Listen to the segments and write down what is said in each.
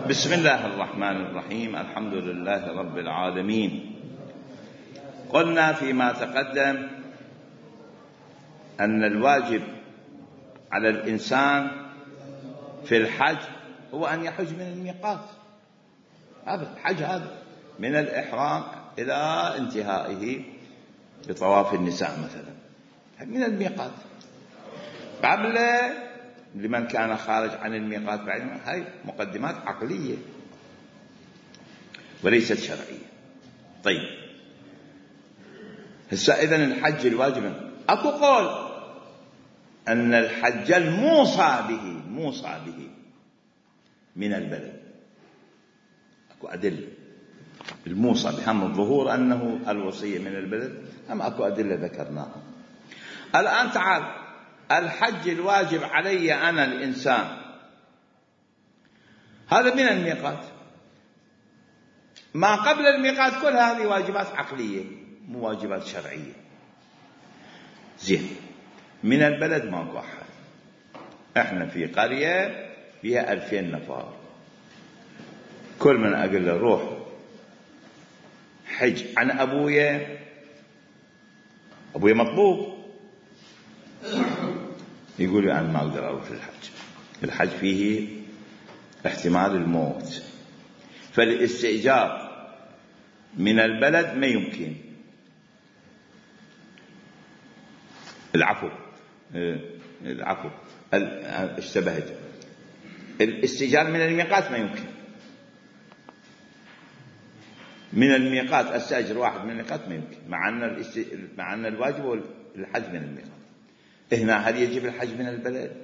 بسم الله الرحمن الرحيم. الحمد لله رب العالمين. قلنا فيما تقدم أن الواجب على الإنسان في الحج هو أن يحج من الميقات. هذا الحج هذا من الإحرام إلى انتهائه بطواف النساء مثلا من الميقات. قبل لمن كان خارج عن الميقات هاي مقدمات عقلية وليست شرعية. طيب هسه إذن الحج الواجب أكو قول أن الحج الموصى به من البلد. أكو أدلة الموصى بهم الظهور أنه الوصية من البلد، أم أكو أدلة ذكرناها. الآن تعال الحج الواجب علي أنا الإنسان هذا من الميقات. ما قبل الميقات كل هذه واجبات عقلية مو واجبات شرعية. زين من البلد ماكو أحد. احنا في قرية فيها 2000 نفر، كل من أقول له روح حج عن أبويا مطلوب، يقول لي أنا ما أقدر أروح الحج فيه احتمال الموت، فالاستئجار من البلد ما يمكن. العفو اشتبهت. الاستئجار من الميقات ما يمكن. من الميقات استأجر واحد من الميقات ما يمكن، مع أن الواجب هو الحج من الميقات. هنا هل يجب الحج من البلد؟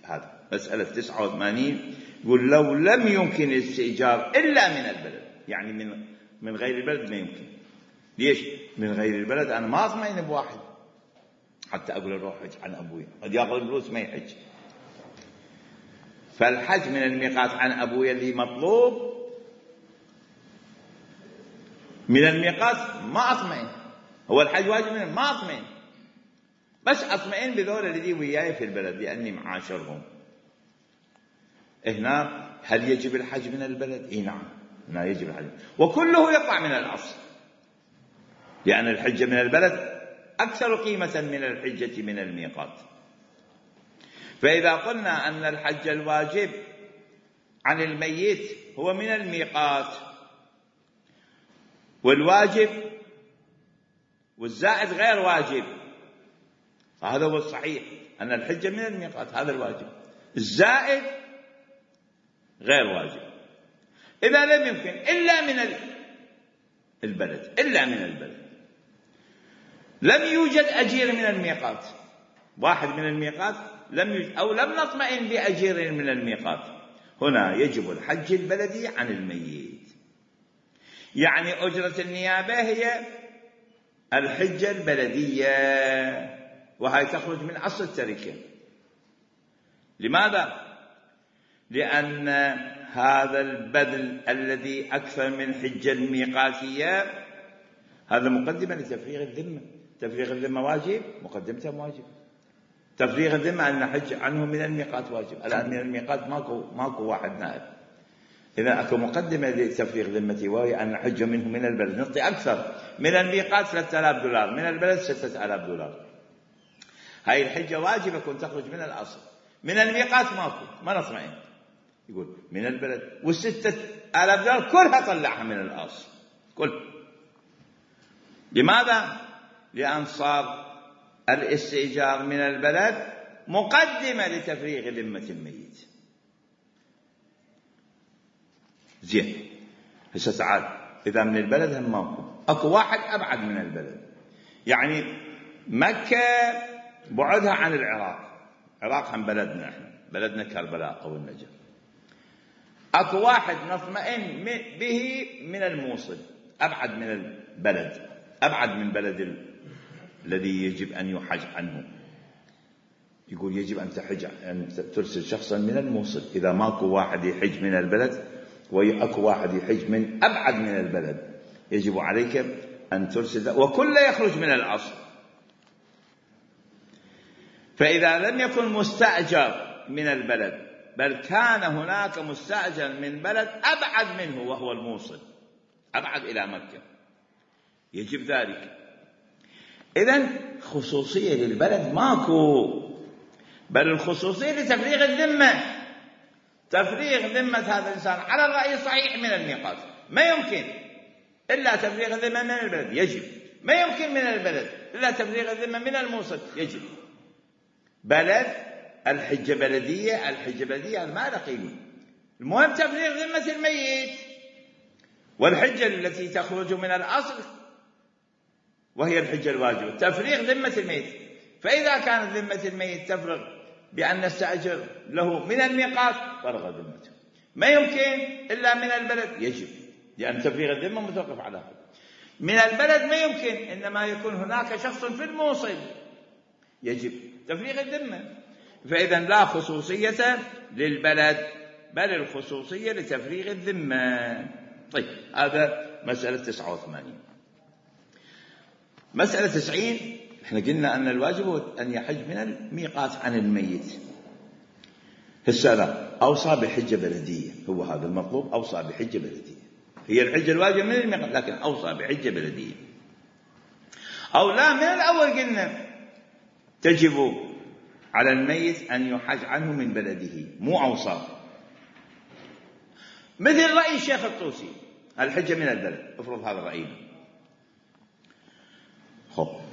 هذا مسألة 89 يقول لو لم يمكن الاستئجار إلا من البلد، يعني من غير البلد ما يمكن. ليش؟ من غير البلد أنا ما أطمئن بواحد حتى أقول أروح حج عن أبوي، قد يأخذ الفلوس ما يحج. فالحج من الميقات عن أبوي اللي مطلوب من الميقات ما أطمئن. هو الحج واجب منه ما أطمئن، بس أطمئن بذول الذي وياي في البلد لأني معاشرهم. هنا هل يجب الحج من البلد؟ إيه نعم، هنا يجب الحج، وكله يقع من الأصل، لأن الحجة من البلد أكثر قيمة من الحجة من الميقات. فإذا قلنا أن الحج الواجب عن الميت هو من الميقات، والواجب والزائد غير واجب، هذا هو الصحيح أن الحجة من الميقات هذا الواجب، الزائد غير واجب. إذا لم يمكن إلا من البلد، لم يوجد أجير من الميقات، واحد من الميقات لم يوجد أو لم نطمئن بأجير من الميقات، هنا يجب الحج البلدي عن الميت. يعني أجرة النيابة هي الحجة البلدية، وهي تخرج من أصل التركة. لماذا؟ لأن هذا البذل الذي أكثر من حجة الميقاتية هذا مقدمة لتفريغ الذمة. تفريغ الذمة واجب، مقدمته واجب. تفريغ الذمة أن نحج عنه من الميقات واجب. الآن من الميقات ماكو واحد نائب، إذا أكو مقدمة لتفريغ ذمتي وهي أن نحج منه من البلد. نعطي أكثر من الميقات $3000، من البلد $6000. هاي الحجة واجبة كنت تخرج من الأصل. من الميقات ماكو، ما نطمئن. يقول من البلد، $6000 كلها طلعها من الأصل كل. لماذا؟ لأن صار الاستئجار من البلد مقدمة لتفريغ ذمة الميت. زين هسه تعال إذا من البلد هم ماكو، أكو واحد أبعد من البلد. يعني مكة بعدها عن العراق هم بلدنا، احنا بلدنا كربلاء أو النجف. أكو واحد نطمئن به من الموصل، أبعد من البلد، أبعد من بلد الذي يجب أن يحج عنه. يقول يجب أن ترسل شخصا من الموصل. إذا ماكو واحد يحج من البلد وأكو واحد يحج من أبعد من البلد، يجب عليك أن ترسل، وكل يخرج من الأصل. فإذا لم يكن مستأجر من البلد بل كان هناك مستأجر من بلد أبعد منه وهو الموصل، أبعد إلى مكة، يجب ذلك. إذن خصوصية للبلد ماكو، بل الخصوصية لتفريغ الذمة، تفريغ ذمة هذا الإنسان على الرأي الصحيح من الميقات. ما يمكن إلا تفريغ الذمة من البلد، يجب. ما يمكن من البلد إلا تفريغ الذمة من الموصل، يجب. بلد الحجة بلدية، الحجة بلدية ما له قيمة، المهم تفريغ ذمة الميت. والحجة التي تخرج من الأصل وهي الحجة الواجبة تفريغ ذمة الميت. فإذا كانت ذمة الميت تفرغ بأن نستأجر له من الميقات، فرغ ذمته. ما يمكن إلا من البلد، يجب، لأن تفريغ الذمة متوقف على هذا. من البلد ما يمكن، إنما يكون هناك شخص في الموصل، يجب تفريغ الذمة. فإذا لا خصوصية للبلد، بل الخصوصية لتفريغ الذمة. طيب، هذا مسألة 89. مسألة 90، احنا قلنا أن الواجب أن يحج من الميقات عن الميت. هسه أوصى بحجة بلدية، هو هذا المطلوب، أوصى بحجة بلدية، هي الحجة الواجب من الميقات، لكن أوصى بحجة بلدية. أو لا، من الأول قلنا تجب على الميت أن يحج عنه من بلده، مو أوصى. مثل رأي الشيخ الطوسي، الحجة من البلد، افرض هذا رأينا.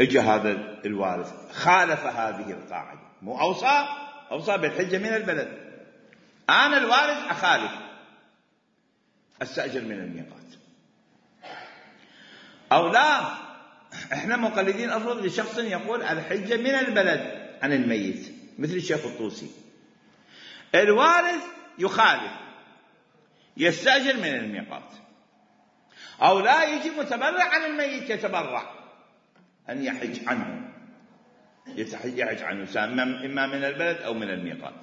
اجى هذا الوارث خالف هذه القاعدة، مو أوصى بالحجة من البلد، أنا الوارث أخالف، أستأجر من الميقات. أو لا، احنا مقلدين، افرض لشخص يقول الحجة من البلد عن الميت مثل الشيخ الطوسي، الوارث يخالف، يستأجر من الميقات. أو لا، يجي متبرع عن الميت، يتبرع أن يحج عنه، يحج عنه إما من البلد أو من الميقات.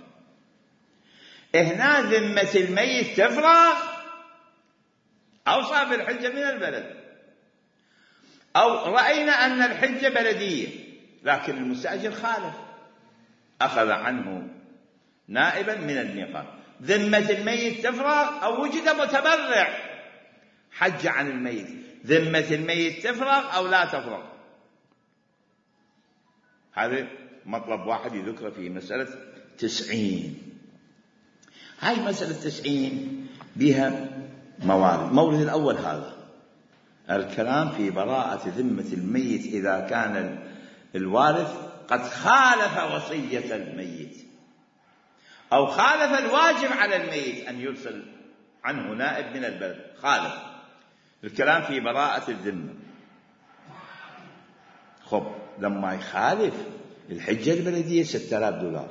هنا ذمة الميت تفرغ، أوصى بالحجة من البلد. أو رأينا أن الحجة بلدية، لكن المستأجر خالف، أخذ عنه نائبا من الميقات، ذمة الميت تفرغ. أو وجد متبرع حج عن الميت، ذمة الميت تفرغ أو لا تفرغ. هذا مطلب واحد يذكر في مسألة 90. هاي مسألة 90 بها موارد. المورد الأول هذا الكلام في براءة ذمة الميت إذا كان الوارث قد خالف وصية الميت، أو خالف الواجب على الميت أن يرسل عنه نائب من البلد، خالف. الكلام في براءة الذمة. لما يخالف، الحجة البلدية $6000،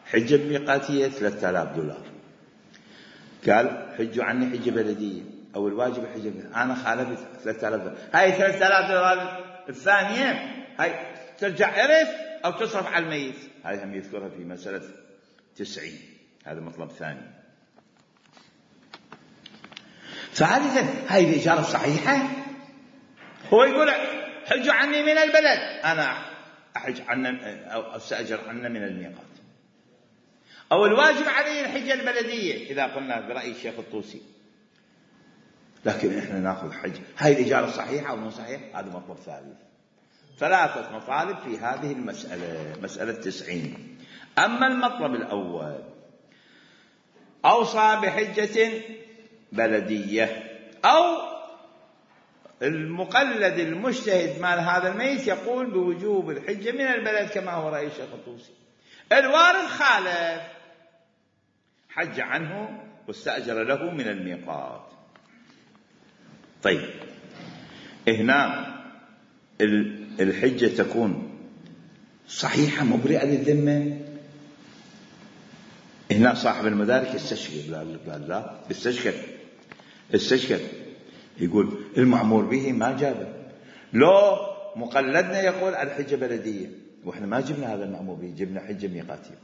حجة الميقاتية $3000. قال حجوا عني حجة بلدية، أو الواجب حجة بلدية، أنا خالفت $3000. هاي $3000 الثانية هاي ترجع إرث أو تصرف على الميت. هاي هم يذكرها في مسألة 90. هذا مطلب ثاني. ثالثا، هاي الإجارة الصحيحة. هو يقول حجوا عني من البلد، أنا أحج عنا أو أستأجر عنا من الميقات. أو الواجب عليه الحجة البلدية إذا قلنا برأي الشيخ الطوسي، لكن إحنا نأخذ حج. هاي الإجارة صحيحة أو مو صحيح؟ هذا مطلب ثالث. 3 مطالب في هذه المسألة، مسألة 90. أما المطلب الأول، أوصى بحجة بلدية، أو المقلد المجتهد مال هذا الميت يقول بوجوب الحجة من البلد كما هو رأي الشيخ الطوسي. الوارث خالف، حج عنه واستأجر له من الميقات. طيب، هنا الحجة تكون صحيحة مبرئة للذمة. هنا صاحب المدارك يستشكل، قال لا، استشكل يقول المأمور به ما جابه. لو مقلدنا يقول الحجة بلدية، وإحنا ما جبنا هذا المأمور به، جبنا حجة ميقاتية.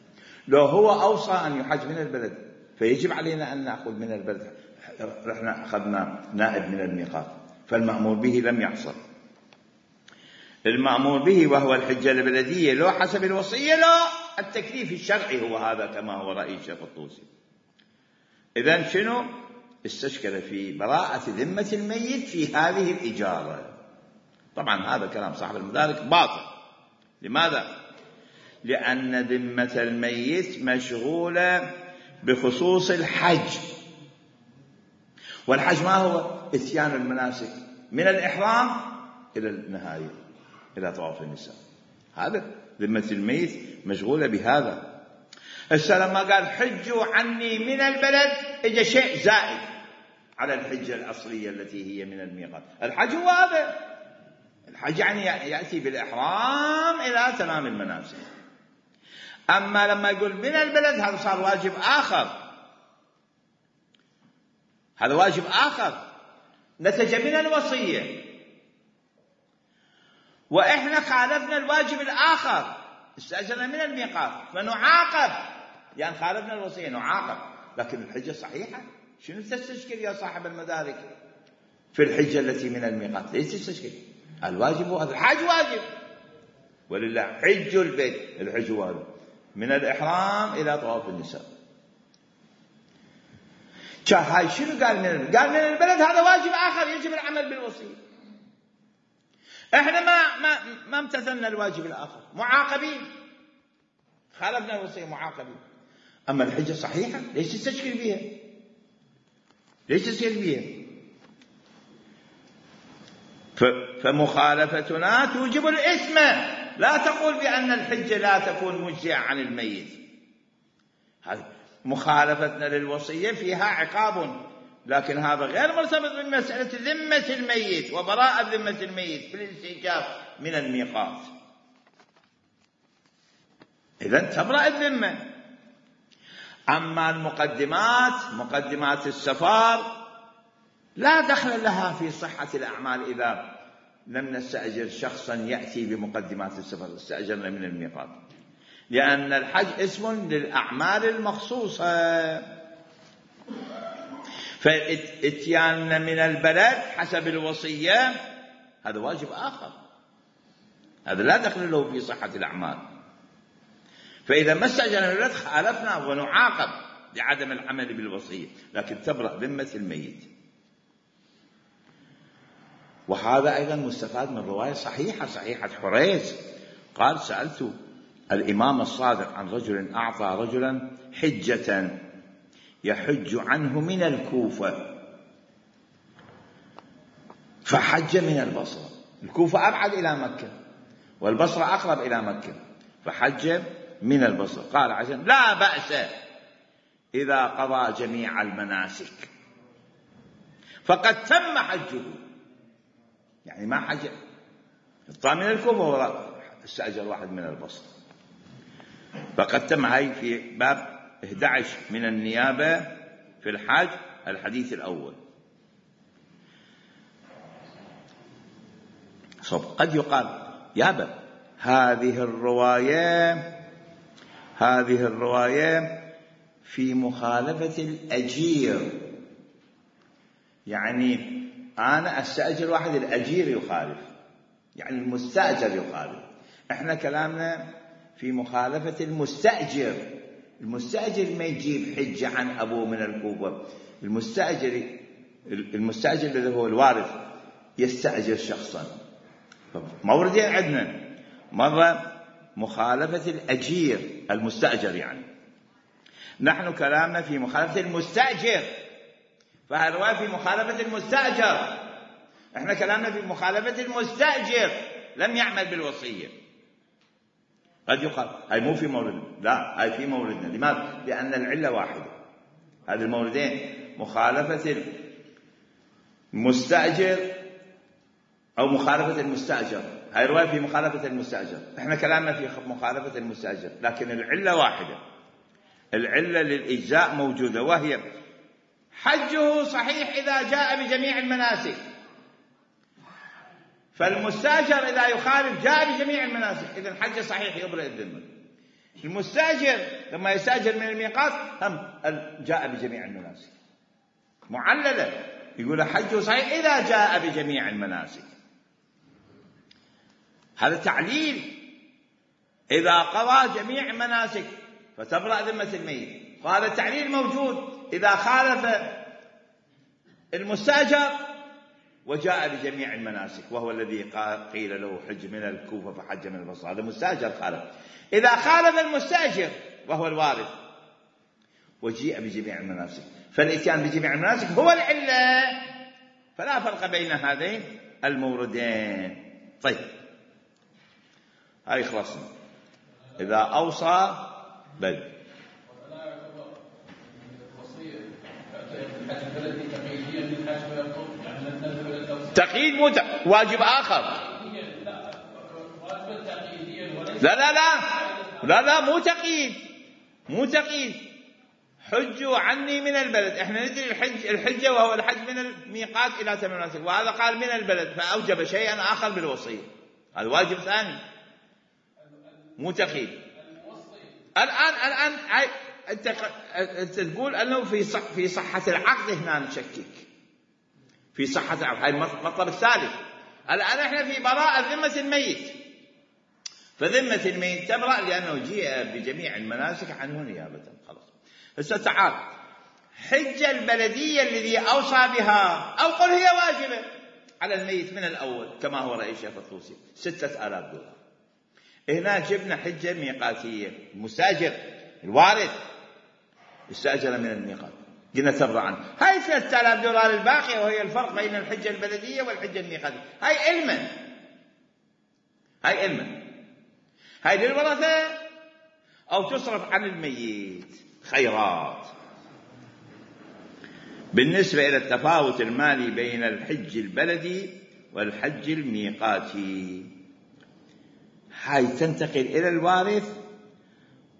لو هو أوصى أن يحج من البلد، فيجب علينا أن نأخذ من البلد، رحنا أخذنا نائب من الميقات، فالمأمور به لم يحصل. المأمور به وهو الحجة البلدية، لو حسب الوصية لا التكليف الشرعي هو هذا كما هو رأي الشيخ الطوسي. إذن شنو؟ استشكل في براءة ذمة الميت في هذه الإجارة. طبعا هذا كلام صاحب المدارك باطل. لماذا؟ لأن ذمة الميت مشغولة بخصوص الحج، والحج ما هو؟ إتيان المناسك من الإحرام إلى النهاية، إلى طواف النساء. هذا ذمة الميت مشغولة بهذا. هسه لما قال حجوا عني من البلد، إجا شيء زائد على الحجة الأصلية التي هي من الميقات. الحج هو هذا، الحج يعني يأتي بالإحرام إلى تمام المناسك. أما لما يقول من البلد، هذا صار واجب آخر، هذا واجب آخر نتج من الوصية، وإحنا خالفنا الواجب الآخر، استأجرنا من الميقات فنعاقب، يعني خالفنا الوصية نعاقب. لكن الحجة صحيحة. شنو تستشكل يا صاحب المدارك في الحجة التي من الميقات؟ ليش تستشكل؟ الواجب هو الحج واجب، ولله حج البيت، الحج واجب من الإحرام إلى طواف النساء. هاي شنو قال قال من البلد؟ هذا واجب آخر يجب العمل بالوصية. احنا ما امتثلنا الواجب الآخر، معاقبين، خالفنا الوصية معاقبين. أما الحجة صحيحة، ليش تستشكل بها؟ ليش تستشكل بها؟ فمخالفتنا توجب الإثم. لا تقول بأن الحجة لا تكون مجزئة عن الميت. هذه مخالفتنا للوصية فيها عقاب، لكن هذا غير مرتبط بمسألة ذمة الميت وبراءة ذمة الميت في الاستئجار من الميقات. إذن تبرأ الذمة. أما المقدمات، مقدمات السفر، لا دخل لها في صحة الأعمال إذا لم نستأجر شخصا يأتي بمقدمات السفر، استأجرنا من الميقات، لأن الحج اسم للأعمال المخصوصة. فإتياننا من البلد حسب الوصية هذا واجب آخر، هذا لا دخل له في صحة الأعمال. فإذا ما استأجرنا من البلد خالفنا ونعاقب لعدم العمل بالوصية، لكن تبرأ ذمة الميت. وهذا أيضا مستفاد من رواية صحيحة، صحيحة حريث، قال: سألت الإمام الصادق عن رجل أعطى رجلا حجة يحج عنه من الكوفة، فحج من البصرة. الكوفة أبعد إلى مكة والبصرة أقرب إلى مكة، فحج من البصرة. قال عشان لا بأس إذا قضى جميع المناسك فقد تم حجه، يعني ما حج الطامن الكوفة استأجر واحد من البصرة فقد تم. هاي في باب 11 من النيابة في الحج، الحديث الأول. قد يقال يابا هذه الرواية في مخالفة الأجير، يعني أنا أستأجر واحد، الأجير يخالف، يعني المستأجر يخالف. إحنا كلامنا في مخالفة المستأجر. المستأجر ما يجيب حجة عن أبوه من الكوفة، المستأجر الذي هو الوارث يستأجر شخصا. موردين عندنا، مرة مخالفة الأجير المستأجر، يعني نحن كلامنا في مخالفة المستأجر، فهالرواية في مخالفة المستأجر. احنا كلامنا في مخالفة المستأجر لم يعمل بالوصية. قد يقال هاي مو في موردنا، لا هاي في موردنا. لماذا؟ لأن العلة واحدة. هذه الموردين مخالفة المستأجر أو مخالفة المستأجر، هاي رواية في مخالفة المستأجر، احنا كلامنا في مخالفة المستأجر، لكن العلة واحدة. العلة للإجزاء موجودة، وهي حجه صحيح إذا جاء بجميع المناسك. فالمستأجر إذا يخالف جاء بجميع المناسك، إذن حجه صحيح يبرئ الذمة. المستأجر لما يستأجر من الميقات هم جاء بجميع المناسك، معللة، يقول حجه صحيح إذا جاء بجميع المناسك. هذا تعليل إذا قضى جميع المناسك فتبرأ ذمة الميت. وهذا التعليل موجود إذا خالف المستأجر وجاء بجميع المناسك، وهو الذي قيل له حج من الكوفة فحج من البصرة، هذا مستأجر خالف. إذا خالف المستأجر وهو الوارث وجيء بجميع المناسك، فالإتيان بجميع المناسك هو العلة، فلا فرق بين هذين الموردين. طيب هاي خلصنا. إذا أوصى بل تقييد واجب آخر. لا لا لا لا لا مو تقييد. حجوا عني من البلد، احنا ندري الحجة وهو الحج من الميقات إلى تم المناسك، وهذا قال من البلد فأوجب شيئا آخر بالوصية، هذا واجب ثاني مو تقييد. الآن أنت تقول أنه في صحة العقد، هنا نشكك في صحة العقد، هاي المطلب الثالث. الآن احنا في براءة ذمة الميت، فذمة الميت تبرأ لأنه جيء بجميع المناسك عنه نيابة. خلاص. هسه تعال، حج البلدية الذي أوصى بها أو قل هي واجبة على الميت من الأول كما هو رأي الشيخ الطوسي، 6000 دولار. هنا جبنا حجة ميقاتية، المستأجر الوارث استأجر من الميقات، قلنا تبرأ عنه. هاي 3000 دولار الباقية وهي الفرق بين الحجة البلدية والحجة الميقاتية، هاي علما هاي للورثة أو تصرف عن الميت خيرات. بالنسبة إلى التفاوت المالي بين الحج البلدي والحج الميقاتي، هاي تنتقل إلى الوارث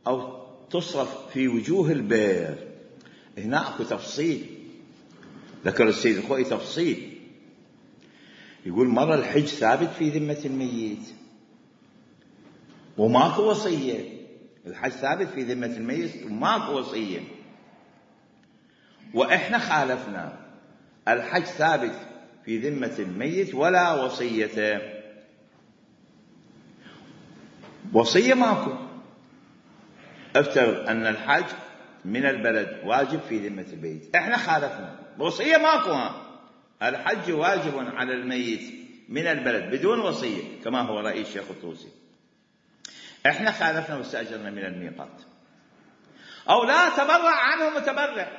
أو تصرف في وجوه البير. هنا أكو تفصيل، ذكر السيد الخوئي تفصيل، يقول مرة الحج ثابت في ذمة الميت وماكو وصية، الحج ثابت في ذمة الميت وماكو وصية، وإحنا خالفنا، الحج ثابت في ذمة الميت ولا وصية، وصية ماكو. افترض أن الحج من البلد واجب في ذمة الميت، إحنا خالفنا، وصية ماكو، الحج واجب على الميت من البلد بدون وصية كما هو رأي الشيخ الطوسي، إحنا خالفنا واستأجرنا من الميقات. أو لا تبرع عنه متبرع،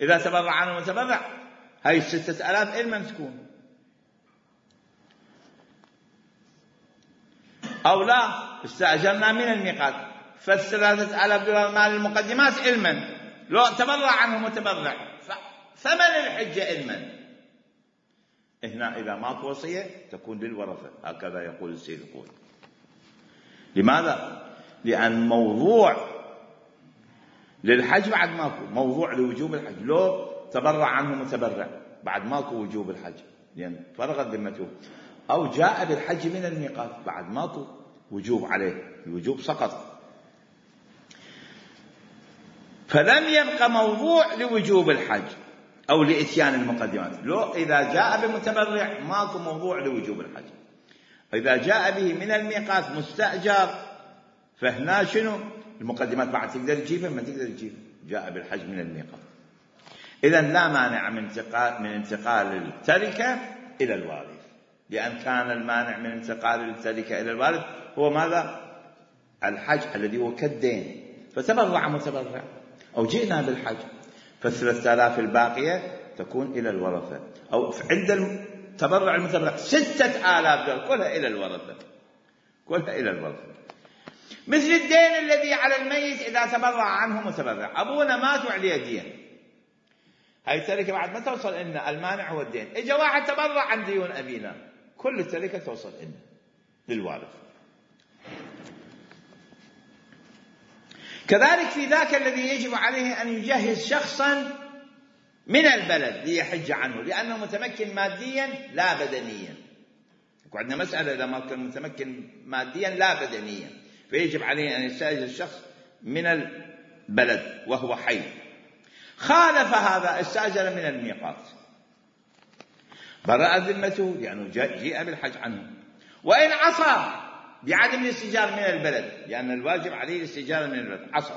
إذا تبرع عنه متبرع هاي 6000 إلما تكون. أو لا استأجرنا من الميقات ف3000 دولار مال المقدمات إلما، لو تبرع عنه متبرع ثمن الحجة إلما. هنا إذا ماكو وصية تكون للورثة، هكذا يقول السيد الخوئي. لماذا؟ لأن موضوع للحج بعد ماكو، موضوع لوجوب الحج لو تبرع عنه متبرع بعد ماكو وجوب الحج لأن فرغت ذمته، أو جاء بالحج من الميقات بعد ماكو وجوب عليه، الوجوب سقط، فلم يبقى موضوع لوجوب الحج أو لإتيان المقدمات. لو إذا جاء بمتبرع ماكو موضوع لوجوب الحج، إذا جاء به من الميقات مستأجر فهنا شنو المقدمات بعد تقدر تجيبها ما تقدر تجيبها، جاء بالحج من الميقات. إذن لا مانع من انتقال التركة إلى الوارث، لأن كان المانع من انتقال التركة إلى الوارث هو ماذا؟ الحج الذي هو كالدين، فتبرع متبرع أو جئنا بالحج، ف3000 الباقية تكون إلى الورثة، أو عند التبرع المتبرع 6000 دولار كلها إلى الورثة، كلها إلى الورثة. مثل الدين الذي على الميت إذا تبرع عنه متبرع، أبونا مات وعليه دين، هاي التركة بعد ما توصل لنا، المانع هو الدين، إجا واحد تبرع عن ديون أبينا، كل التركة توصل لنا للوارث. كذلك في ذاك الذي يجب عليه أن يجهز شخصا من البلد ليحج عنه لأنه متمكن ماديا لا بدنيا. وعندنا مسألة إذا ما كان متمكن ماديا لا بدنيا فيجب عليه أن يستأجر الشخص من البلد وهو حي. خالف هذا استأجر من الميقات، برأ ذمته لأنه جيء بالحج عنه، وإن عصى بعدم الاستئجار من البلد، لأن الواجب عليه الاستئجار من البلد، عصر.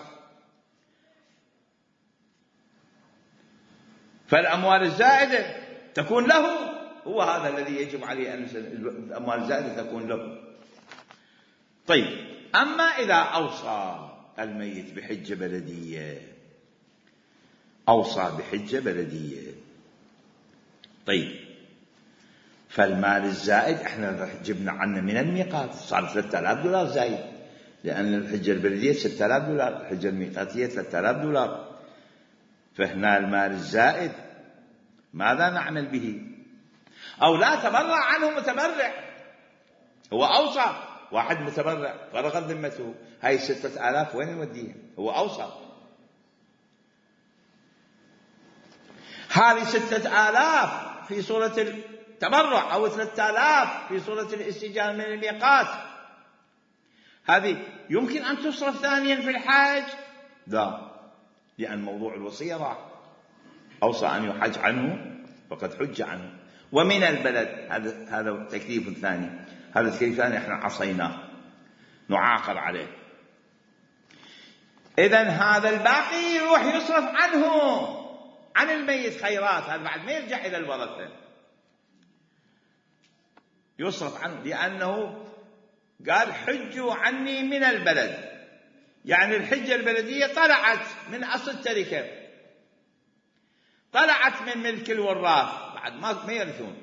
فالأموال الزائدة تكون له، هو هذا الذي يجب عليه أن الأموال الزائدة تكون له. طيب، أما إذا أوصى الميت بحجة بلدية، أوصى بحجة بلدية، طيب، فالمال الزائد احنا جبنا عنه من الميقات، صار $3000 زايد، لأن الحجة البلدية $6000، الحجة الميقاتية $3000. فهنا المال الزائد ماذا نعمل به؟ أو لا تبرع عنه متبرع، هو أوصى، واحد متبرع فرغت ذمته، هاي 6000 وين نوديها؟ هو أوصى، هذه 6000 في صورة التبرع، أو 3000 في صورة الاستئجار من الميقات، هذه يمكن أن تصرف ثانيا في الحج؟ لا، لأن موضوع الوصية راح، أوصى أن يحج عنه فقد حج عنه. ومن البلد، هذا تكليف ثاني، هذا التكليف الثاني احنا عصيناه، نعاقب عليه. إذن هذا الباقي يروح يصرف عنه، عن الميت خيرات، هذا بعد ما يرجع إلى الورثة، يصرف عنه، لأنه قال حجوا عني من البلد، يعني الحجة البلدية طلعت من أصل التركة، طلعت من ملك الوراث، بعد ما يرثون،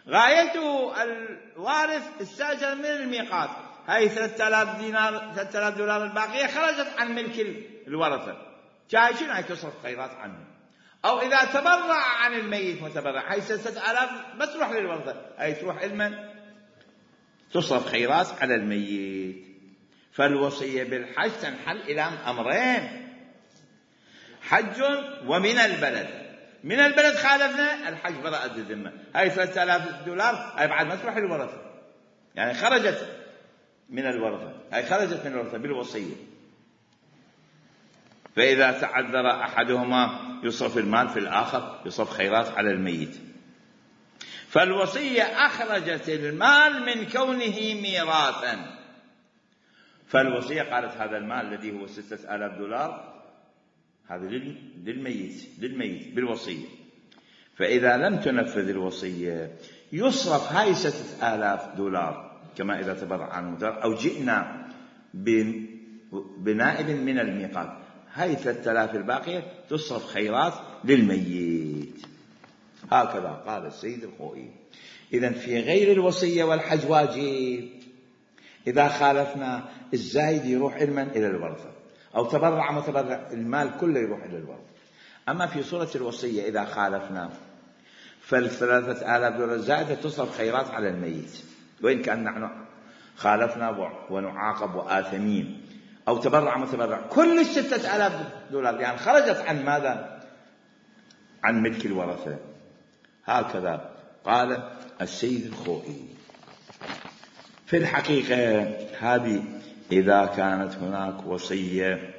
غايته الوارث استأجر من الميقات، هاي $3000 الباقية خرجت عن ملك الورثة، جاي شنو هاي تصرف خيرات عنه. أو إذا تبرع عن الميت متبرع، هاي 6000 بس تروح للورثة، هاي تروح لمن؟ تصرف خيرات على الميت. فالوصية بالحج تنحل إلى أمرين: حج ومن البلد. من البلد خالفنا الحج براءة الذمة، هاي $3000 هاي بعد ما تروح للورثة، يعني خرجت من الورثة، هاي خرجت من الورثة بالوصية. فإذا تعذر أحدهما يصرف المال في الآخر، يصرف خيرات على الميت. فالوصية أخرجت المال من كونه ميراثا، فالوصية قالت هذا المال الذي هو $6000 هذا للميت بالوصية. فإذا لم تنفذ الوصية يصرف هاي $6000 كما إذا تبرع عنه متبرع، أو جئنا بنائب من الميقات، هاي 3000 الباقية تصرف خيرات للميت. هكذا قال السيد الخوئي. إذن في غير الوصية والحج واجب، إذا خالفنا الزايد يروح إلى الورثة، أو تبرع متبرع المال كله يروح إلى الورثة. أما في صورة الوصية إذا خالفنا $3000 الزائدة تصرف خيرات على الميت، وإن كان نحن خالفنا ونعاقب وآثمين. أو تبرع متبرع كل $6000 يعني خرجت عن ماذا؟ عن ملك الورثة. هكذا قال السيد الخوئي. في الحقيقة هذه إذا كانت هناك وصية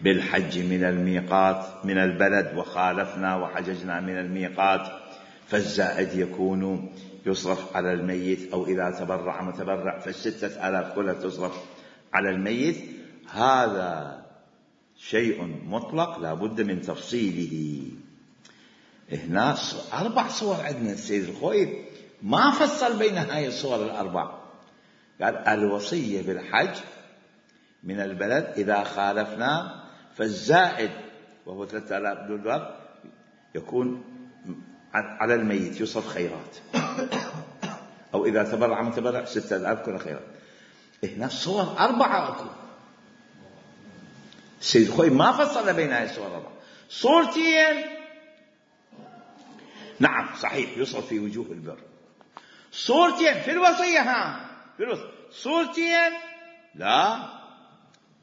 بالحج من الميقات من البلد وخالفنا وحججنا من الميقات، فالزائد يكون يصرف على الميت، أو إذا تبرع متبرع $6000 كلها تصرف على الميت. هذا شيء مطلق لا بد من تفصيله. هنا 4 صور عندنا، السيد الخوئي ما فصل بين هاي الصور ال4، قال الوصية بالحج من البلد إذا خالفنا فالزائد وهو $3000 يكون على الميت يصرف خيرات، أو إذا تبرع متبرع 6000 كل خيرات. هنا الصور 4 أكو، السيد الخوئي ما فصل بين هاي الصور 4. صورتين نعم صحيح يصرف في وجوه البر، صورتين في الوصية، في الوصية صورتين لا،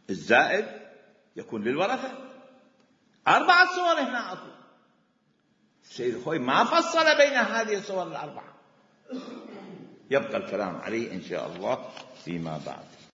الزائد يكون للورثة. 4 صور هنا أكو، السيد الخوئي ما فصل بين هذه الصور ال4. يبقى الكلام عليه إن شاء الله فيما بعد.